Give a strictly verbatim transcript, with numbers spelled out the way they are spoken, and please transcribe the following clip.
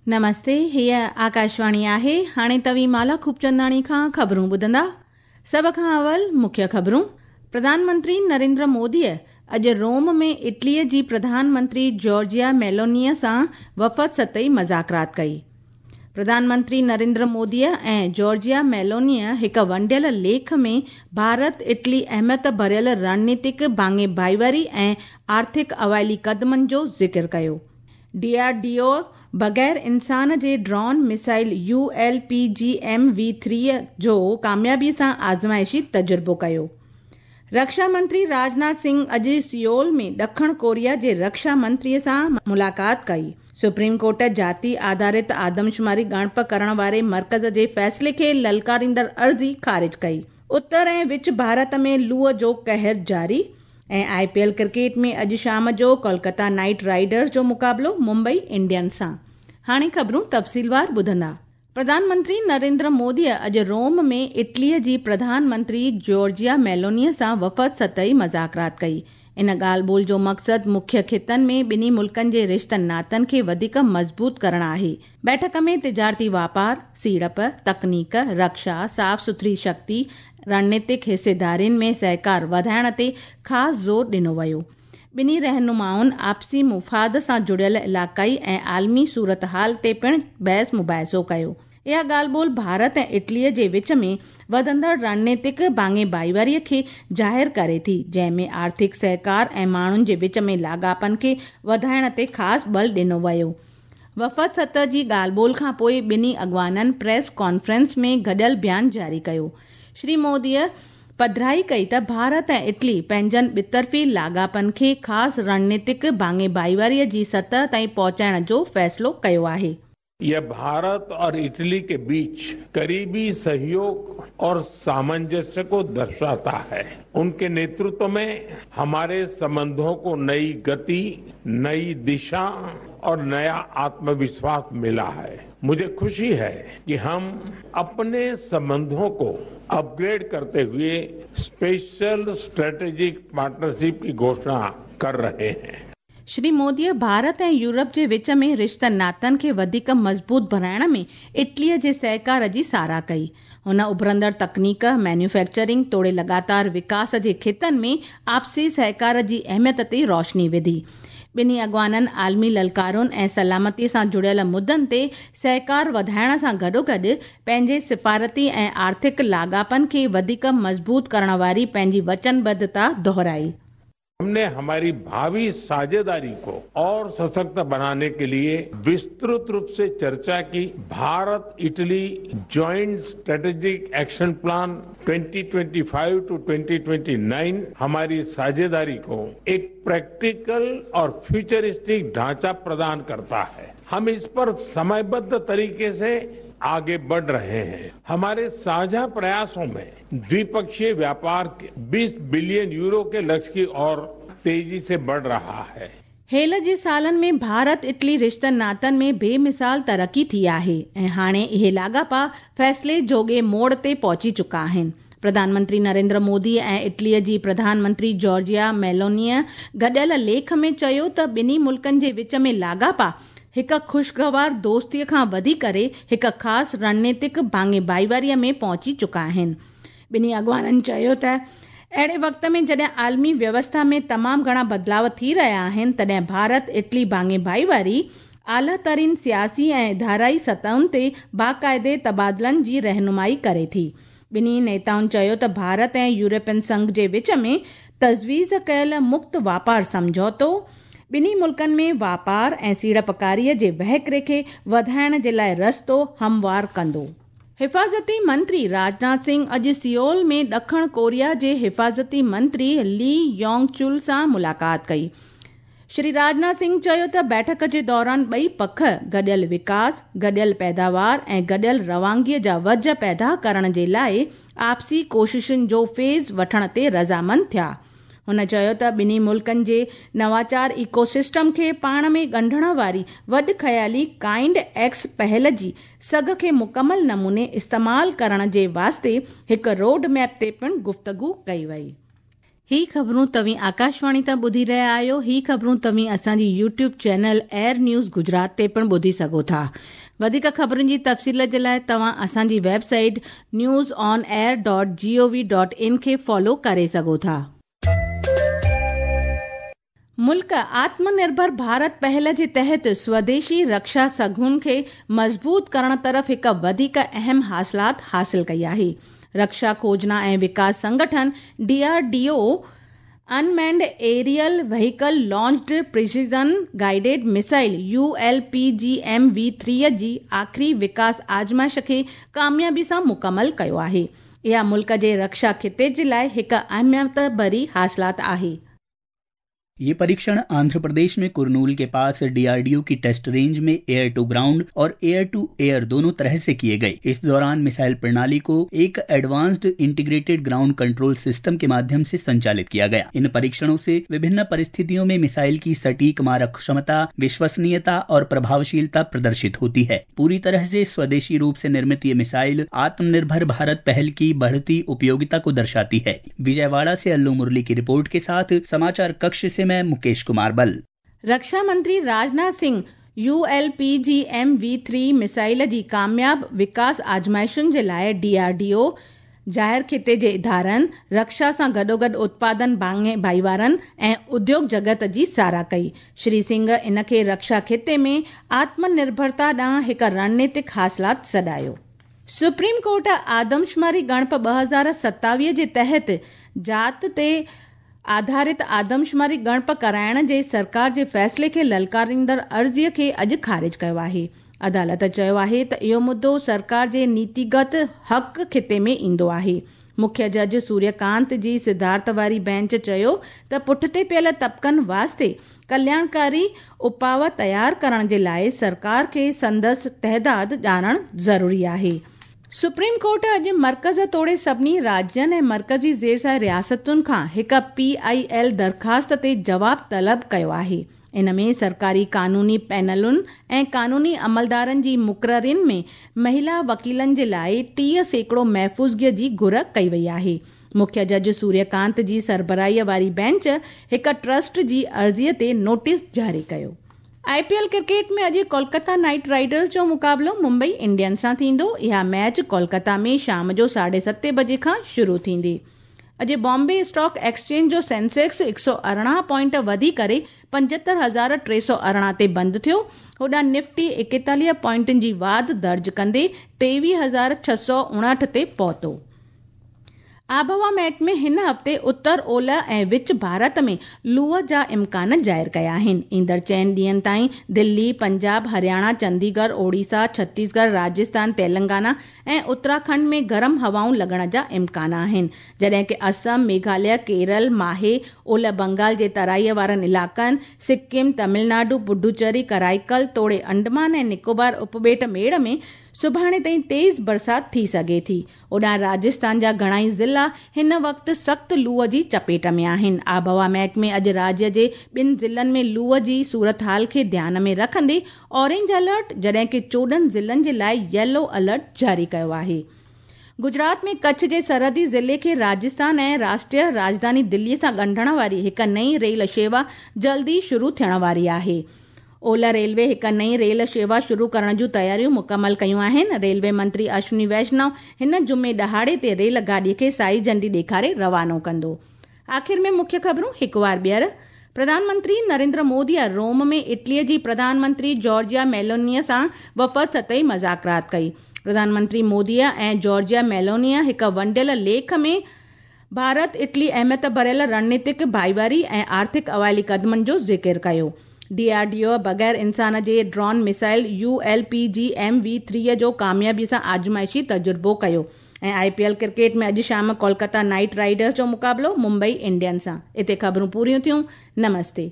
नमस्ते, हीअ आकाशवाणी आहे। हाणे तव्हीं माला खूबचंदाणी खां ख़बरूं ॿुधंदा। सभ खां अवल मुख्य ख़बरूं। प्रधानमंत्री नरेंद्र मोदीअ अॼु रोम में इटलीअ जी प्रधानमंत्री जॉर्जिया मेलोनीअ सां वफ़द सतही मज़ाकरात कई। प्रधानमंत्री नरेंद्र मोदीअ ऐं जॉर्जिया मेलोनीअ हिकु वंडियल लेख में भारत इटली अहमियत भरियल रणनीतिक भाङे भाईवारी ऐं आर्थिक अवाइली क़दमनि जो ज़िक्र कयो। डी आर डी ओ बग़ैर इंसान जे drone missile U L P G M V three जो कामयाबीअ सां आज़माइशी तजुर्बो कयो। रक्षा मंत्री राजनाथ सिंह अॼु सियोल में ॾखण कोरिया जे रक्षा मंत्रीअ सां मुलाक़ात कई। सुप्रीम कोर्ट जाति आधारित आदमशुमारी ॻणप करण वारे मर्कज़ जे फ़ैसिले खे ललकारींदड़ अर्ज़ी ख़ारिज कई। उत्तर ऐं विच भारत में लूअ जो कहर जारी ऐं I P L cricket में अॼु शाम जो कोलकाता नाइट राइडर्स जो मुक़ाबिलो मुंबई इंडियंस सां। हाणे ख़बरूं तफ़सीलवार ॿुधंदा। प्रधानमंत्री नरेंद्र मोदीअ अॼु रोम में इटलीअ जी प्रधानमंत्री जॉर्जिया मेलोनीअ सां वफ़द सतही मज़ाकरात कई। इन ॻाल्हि ॿोल जो मक़सदु मुख्य ख़ितनि में ॿिन्ही मुल्कनि जे रिश्तनि नातनि खे वधीक मज़बूत करणु आहे। बैठक में तिजारती वापार, सीड़प, तकनीक, रक्षा, साफ़ सुथरी शक्ति, रणनीतिक हिस्सेदारियुनि में सहकार वधाइण ते ख़ासि ज़ोर ॾिनो वियो। ॿिन्ही रहनुमाउनि आपसी मुफ़ाद सां जुड़ियल इलाइक़ाई ऐं आलमी सूरत हाल ते पिणु बहस मुबाहिसो कयो। इहा ॻाल्हि ॿोल भारत ऐं इटलीअ जे विच में वधंदड़ रणनीतिक भाङे भाईवारीअ खे ज़ाहिर करे थी, जंहिं में आर्थिक सहकार ऐं माण्हुनि जे विच में लाॻापनि खे वधाइण ते ख़ासि बल ॾिनो वियो। वफ़द सतह जी ॻाल्हि ॿोल खां पोइ ॿिन्ही अॻवाननि प्रेस कॉन्फ्रेंस में गॾियल बयान जारी कयो। श्री मोदीअ पधराई कई त भारत ऐं इटली पंहिंजनि ॿितरफ़ी लाॻापनि खे ख़ासि रणनीतिक भाङे भाईवारीअ जी सतह ताईं पहुचाइण जो फ़ैसिलो कयो आहे। यह भारत और इटली के बीच करीबी सहयोग और सामंजस्य को दर्शाता है। उनके नेतृत्व में हमारे संबंधों को नई गति, नई दिशा और नया आत्मविश्वास मिला है। मुझे खुशी है कि हम अपने संबंधों को अपग्रेड करते हुए स्पेशल स्ट्रेटेजिक पार्टनरशिप की घोषणा कर रहे हैं। श्री मोदीअ भारत ऐं यूरोप जे विच में रिश्तनि नातनि खे वधीक मज़बूत बणाइण में इटलीअ जे सहकार जी सराह कई। हुन उभरंदड़ तकनीक, मैन्युफैक्चरिंग तोड़े लगातार विकास जे ख़ितनि में आपसी सहकार जी अहमियत ते रोशनी विधी। ॿिन्ही अॻवाननि आलमी ललकारुनि ऐं सलामतीअ सां जुड़ियल मुद्दनि ते सहकार वधाइण सां गॾोगॾु पंहिंजे सिफारती ऐं आर्थिक लाॻापनि खे वधीक मज़बूत करण वारी पंहिंजी वचनबद्धता दोहराई। हमने हमारी भावी साझेदारी को और सशक्त बनाने के लिए विस्तृत रूप से चर्चा की। Bharat Italy joint strategic action plan twenty twenty five to twenty twenty nine हमारी साझेदारी को एक प्रैक्टिकल और फ्यूचरिस्टिक ढांचा प्रदान करता है। हम इस पर समयबद्ध तरीके से आगे बढ़ रहे हैं। हमारे साझा प्रयासों में द्विपक्षीय व्यापार बीस बिलियन यूरो के लक्ष्य की ओर तेजी से बढ़ रहा है। हेल जे सालनि में भारत इटली रिश्तनि नातनि में बेमिसाल तरक़ी थी आहे ऐं हाणे इहे लाॻापा फ़ैसिले जोॻे मोड़ ते पहुची चुका आहिनि। प्रधानमंत्री नरेंद्र मोदी ऐं इटलीअ जी प्रधानमंत्री जॉर्जिया मेलोनीअ गॾियल लेख में चयो त ॿिन्ही मुल्कनि जे विच में लाॻापा हिकु ख़ुशगवार दोस्तीअ खां वधी करे हिकु ख़ासि रणनीतिक भाङे भाईवारीअ में पहुची चुका आहिनि। ॿिन्ही अॻवाननि चयो त अहिड़े वक़्त में जॾहिं आलमी व्यवस्था में तमामु घणा बदिलाव थी रहिया आहिनि, तॾहिं भारत इटली भाङे भाईवारी आला तरीन सियासी ऐं इदाराई सतहुनि ते बाक़ाइदे तबादिलनि जी रहनुमाई करे थी। ॿिन्ही नेताउनि चयो त भारत ऐं यूरोपियन संघ जे विच में तजवीज़ कयल मुक्त वापार सम्झौतो ॿिन्ही मुल्कनि में वापार ऐं सीड़पकारीअ जे वहिकिरे खे वधाइण जे लाइ रस्तो हमवार कंदो। हिफाज़ती मंत्री राजनाथ सिंह अॼु सियोल में ॾखण कोरिया जे हिफाज़ती मंत्री ली योंग चुल सां मुलाक़ात कई। श्री राजनाथ सिंह चयो त बैठक जे दौरान ॿई पख गॾियल विकास, गॾियल पैदावार ऐं गॾियल रवानगीअ जा वज पैदा करण जे लाइ आपसी कोशिशुनि जो फैज़ वठण ते रज़ामंद थिया। हुन चयो त ॿिन्ही मुल्कनि जे नवाचार इकोसिस्टम खे पाण में ॻंढण वारी वॾ ख़याली काइंड एक्स पहल जी सघ खे मुकमल नमूने इस्तेमाल करण जे वास्ते हिकु रोड मैप ते पिणु गुफ़्तगू कई वई। ही ख़बरूं तव्हीं आकाशवाणी तां ॿुधी रहिया आहियो। ही ख़बरूं तव्हीं असांजी YouTube channel Air News Gujarat ते पिणु ॿुधी सघो था। वधीक ख़बरुनि जी तफ़सील जे लाइ तव्हां असांजी website news on air dot G O V dot in खे फॉलो करे सघो था। मुल्क आत्मनिर्भर भारत पहल जे तहत स्वदेशी रक्षा सघुनि खे मज़बूत करण तरफ़ हिकु वधीक अहम हासिलात हासिल कई आहे। रक्षा खोजना ऐं विकास संगठन D R D O unmanned aerial vehicle launched precision guided missile U L P G M V three जी आख़िरी विकास आज़माइश खे कामयाबी सां मुकमल कयो आहे। इहा मुल्क जे रक्षा ख़िते जे लाइ हिकु अहमियत भरी हासिलात आहे। ये परीक्षण आंध्र प्रदेश में कुरनूल के पास डीआरडीओ की टेस्ट रेंज में एयर टू ग्राउंड और एयर टू एयर दोनों तरह से किए गए। इस दौरान मिसाइल प्रणाली को एक advanced integrated ground control system के माध्यम से संचालित किया गया। इन परीक्षणों से विभिन्न परिस्थितियों में मिसाइल की सटीक मारक क्षमता, विश्वसनीयता और प्रभावशीलता प्रदर्शित होती है। पूरी तरह से स्वदेशी रूप से निर्मित ये मिसाइल आत्मनिर्भर भारत पहल की बढ़ती उपयोगिता को दर्शाती है। विजयवाड़ा से अल्लू मुरली की रिपोर्ट के साथ समाचार कक्ष से मैं मुकेश कुमार बल। रक्षा मंत्री Rajnath Singh U L P G M V three missile जी कामयाब विकास आज़माइशुनि जे लाइ डी आर डी ओ, ज़ाहिर ख़िते जे इदारनि, रक्षा सां गॾोगॾु उत्पादन भाङे भाईवारनि ऐं उद्योग जगत जी सराह कई। श्री सिंह इन खे रक्षा ख़िते में आत्मनिर्भरता ॾांहुं हिकु रणनीतिक हासिलात सॾायो। सुप्रीम कोर्ट आदमशुमारी ॻणप ॿ हज़ार सतावीह जे तहत जात ते आधारित आदमशुमारी ॻणप कराइण जे सरकार जे फ़ैसिले खे ललकारींदड़ अर्ज़ीअ खे अॼु ख़ारिज कयो आहे। अदालत चयो आहे त इहो मुद्दो सरकार जे नीतिगत हक़ ख़िते में ईंदो आहे। मुख्य जज सूर्यकांत जी सिद्धार्थ वारी बेंच चयो त पुठिते पियल तबक़नि वास्ते कल्याणकारी उपाव तयार करण जे लाइ सरकार खे संदसि तइदाद ॼाणणु ज़रूरी आहे। सुप्रीम कोर्ट अॼु मर्कज़ तोड़े सभिनी राज्यनि ऐं मर्कज़ी ज़ेर रियासतुनि खां हिकु पी I L दरख़्वास्त ते जवाब तलब कयो आहे। इन में सरकारी कानूनी पैनलुनि ऐं कानूनी अमलदारनि जी मुक़ररियुनि में महिला वकीलनि जे लाइ टीह सैकड़ो महफ़ूज़गीअ जी घुर कई वई आहे। मुख्य जज सूर्यकांत जी सरबराहीअ वारी बेंच हिकु ट्रस्ट जी अर्ज़ीअ ते नोटिस जारी कयो। I P L cricket में अॼु कोलकाता नाइट राइडर्स जो मुक़ाबिलो मुंबई इंडियंस सां थींदो। इहा मैच कोलकाता में शाम जो साढे सते बजे खां शुरू थींदी। अॼु बॉम्बे स्टॉक एक्सचेंज जो सेंसेक्स हिकु सौ अरिड़हं पॉइंट वधी करे पंजहतरि हज़ार टे सौ अरिड़हं ते बंदि थियो। होॾां निफ्टी एकेतालीह पॉइंटनि जी वाध दर्ज कंदे टेवीह हज़ार छह सौ उणहठि ते पहुतो। आबहवा महकमे हिन हफ़्ते उत्तर ओलह ऐं विच भारत में लूअ जा इम्कान ज़ाहिर कया आहिनि। ईंदड़ चइनि ॾींहनि ताईं दिल्ली, पंजाब, हरियाणा, चंडीगढ़, ओडिशा, छत्तीसगढ़, राजस्थान, तेलंगाना ऐं उत्तराखंड में गरम हवाऊं लॻण जा इम्कान आहिनि, जॾहिं की असम, मेघालय, केरल, माहे, ओलह बंगाल जे तराईअ वारनि इलाइक़नि, सिक्किम, तमिलनाडु, पुडुचेरी, कराईकल तोड़े अंडमान ऐं निकोबार उपॿेट मेड़ में सुभाणे ताईं तेज़ बरसाति थी सघे थी। होॾां राजस्थान जा घणाई ज़िला हिन वक़्तु सख़्तु लूअ जी चपेट में आहिनि। आबहवा महकमे अॼु राज्य जे ॿिनि ज़िलनि में लूअ जी सूरत हाल खे ध्यान में रखंदे ऑरेंज अलर्ट, जॾहिं की चोॾहं ज़िलनि जे लाइ येलो अलर्ट जारी कयो आहे। गुजरात में कच्छ जे सरहदी ज़िले खे राजस्थान ऐं राष्ट्रीय राजधानी दिल्लीअ सां ॻंढण वारी हिकु नई रेल शेवा जल्दी शुरू थियण वारी आहे। ओला रेलवे हिकु नई रेल शेवा शुरू करण जूं तयारियूं मुकमल कयूं आहिनि। रेलवे मंत्री अश्विनी वैष्णव हिन जुमे ॾहाड़े ते रेल गाॾीअ खे साई झंडी ॾेखारे रवानो कंदो। आख़िर में मुख्य ख़बरूं हिकु वार ॿीहर। प्रधानमंत्री नरेंद्र मोदी रोम में इटलीअ जी प्रधानमंत्री जॉर्जिया मेलोनीअ सां वफ़द सतही मज़ाकरात कई। प्रधानमंत्री मोदी ऐं जॉर्जिया मेलोनीअ हिकु वंडियल लेख में भारत इटली अहमियत भरियल रणनीतिक भाईवारी ऐं आर्थिक अवाइली क़दमनि जो ज़िक्र कयो। डी आर डी ओ बग़ैर इंसान जे drone missile U L P G M V three जो कामयाबी सां आज़माइशी तजुर्बो कयो। ऐं I P L cricket में अॼु शाम कोलकाता नाइट राइडर्स जो मुक़ाबिलो मुंबई इंडियंस सां। हिते ख़बरूं पूरियूं थियूं। नमस्ते।